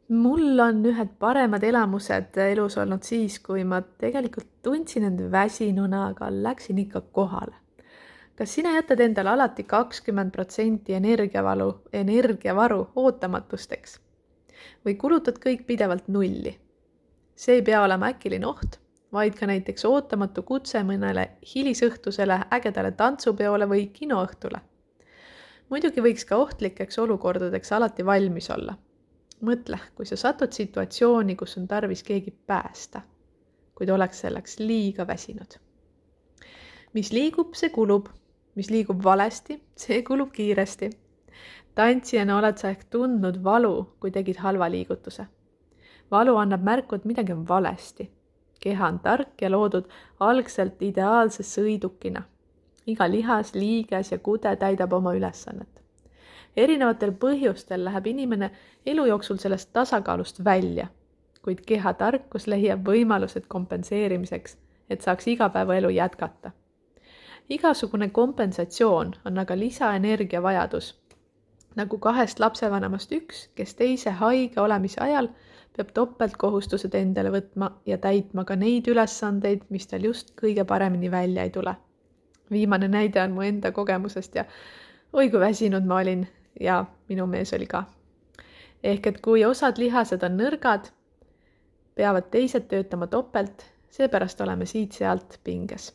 Mul on ühed paremad elamused elus olnud siis, kui ma tegelikult tundsin end väsinuna, aga läksin ikka kohale. Kas sina jätad endale alati 20% energiavaru ootamatusteks või kulutad kõik pidevalt nulli? See ei pea olema äkiline oht, vaid ka näiteks ootamatu kutse mõnele hilisõhtusele ägedale tantsupeole või kinoõhtule. Muidugi võiks ka ohtlikeks olukordadeks alati valmis olla. Mõtle, kui sa satud situatsiooni, kus on tarvis keegi päästa, kuid oleks selleks liiga väsinud. Mis liigub, see kulub. Mis liigub valesti, see kulub kiiresti. Tantsijana oled sa ehk tundnud valu, kui tegid halva liigutuse. Valu annab märku, et midagi on valesti. Keha on tark ja loodud algselt ideaalse sõidukina. Iga lihas, liiges ja kude täidab oma ülesannet. Erinevatel põhjustel läheb inimene elu jooksul sellest tasakaalust välja, kuid keha tarkus leiab võimalused kompenseerimiseks, et saaks igapäevaelu jätkata. Igasugune kompensatsioon on aga lisaenergia vajadus. Nagu 2 lapsevanemast 1, kes teise haige olemise ajal peab topeltkohustused endale võtma ja täitma ka neid ülesandeid, mis tal just kõige paremini välja ei tule. Viimane näide on mu enda kogemusest ja oi kui väsinud ma olin ja minu mees oli ka. Ehk et kui osad lihased on nõrgad, peavad teised töötama topelt, seepärast oleme siit-sealt pinges.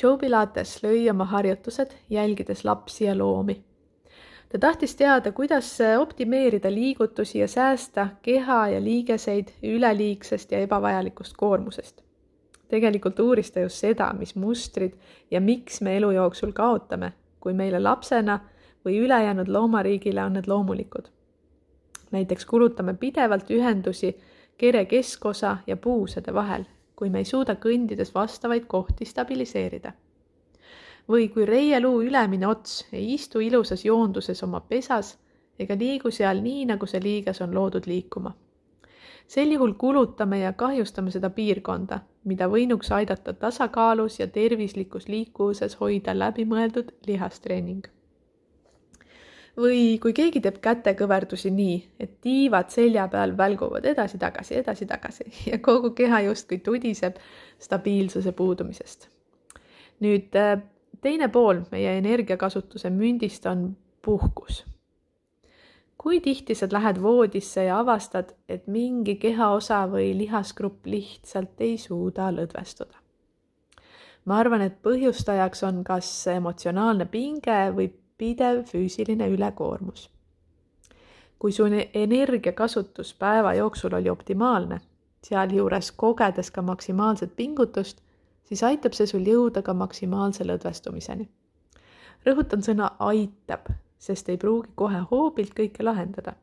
Joe Pilates lõi oma harjutused, jälgides lapsi ja loomi. Ta tahtis teada, kuidas optimeerida liigutusi ja säästa keha ja liigeseid üleliigsest ja ebavajalikust koormusest. Tegelikult uuris ta just seda, mis mustrid ja miks me elu jooksul kaotame, kui meile lapsena või ülejäänud loomariigile on need loomulikud. Näiteks kulutame pidevalt ühendusi kere keskosa ja puusade vahel, kui me ei suuda kõndides vastavaid kohti stabiliseerida. Või kui reieluu ülemine ots ei istu ilusas joonduses oma pesas ega liigu seal nii, nagu see liiges on loodud liikuma. Sel juhul kulutame ja kahjustame seda piirkonda, mida võinuks aidata tasakaalus ja tervislikus liikuvuses hoida läbimõeldud lihastreening. Või kui keegi teeb kätekõverdusi nii, et tiivad selja peal välguvad edasi-tagasi ja kogu keha justkui tudiseb stabiilsuse puudumisest. Nüüd teine pool meie energiakasutuse mündist on puhkus. Kui tihti sa lähed voodisse ja avastad, et mingi kehaosa või lihasgrupp lihtsalt ei suuda lõdvestuda? Ma arvan, et põhjustajaks on kas emotsionaalne pinge või pidev füüsiline ülekoormus. Kui su energiakasutus päeva jooksul oli optimaalne, sealjuures kogedes ka maksimaalset pingutust, siis aitab see sul jõuda ka maksimaalse lõdvestumiseni. Rõhutan sõna aitab, sest ei pruugi kohe hoobilt kõike lahendada.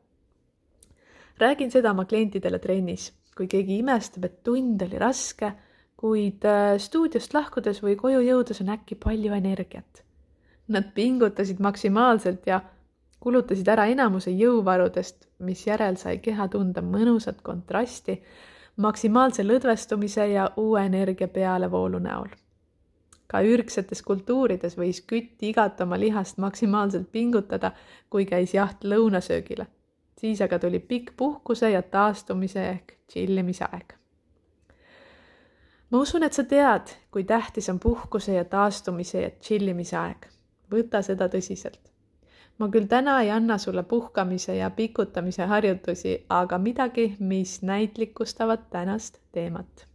Räägin seda oma klientidele trennis, kui keegi imestab, et tund oli raske, kuid stuudiost lahkudes või koju jõudes on äkki palju energiat. Nad pingutasid maksimaalselt ja kulutasid ära enamuse jõuvarudest, mis järel sai keha tunda mõnusat kontrasti maksimaalse lõdvestumise ja uue energia pealevoolu näol. Ka ürgsetes kultuurides võis kütt igat oma lihast maksimaalselt pingutada, kui käis jaht lõunasöögile. Siis aga tuli pikk puhkuse ja taastumise ehk chillimise aeg. Ma usun, et sa tead, kui tähtis on puhkuse ja taastumise ja chillimise aeg. Võta seda tõsiselt. Ma küll täna ei anna sulle puhkamise ja pikutamise harjutusi, aga midagi, mis näitlikustavad tänast teemat.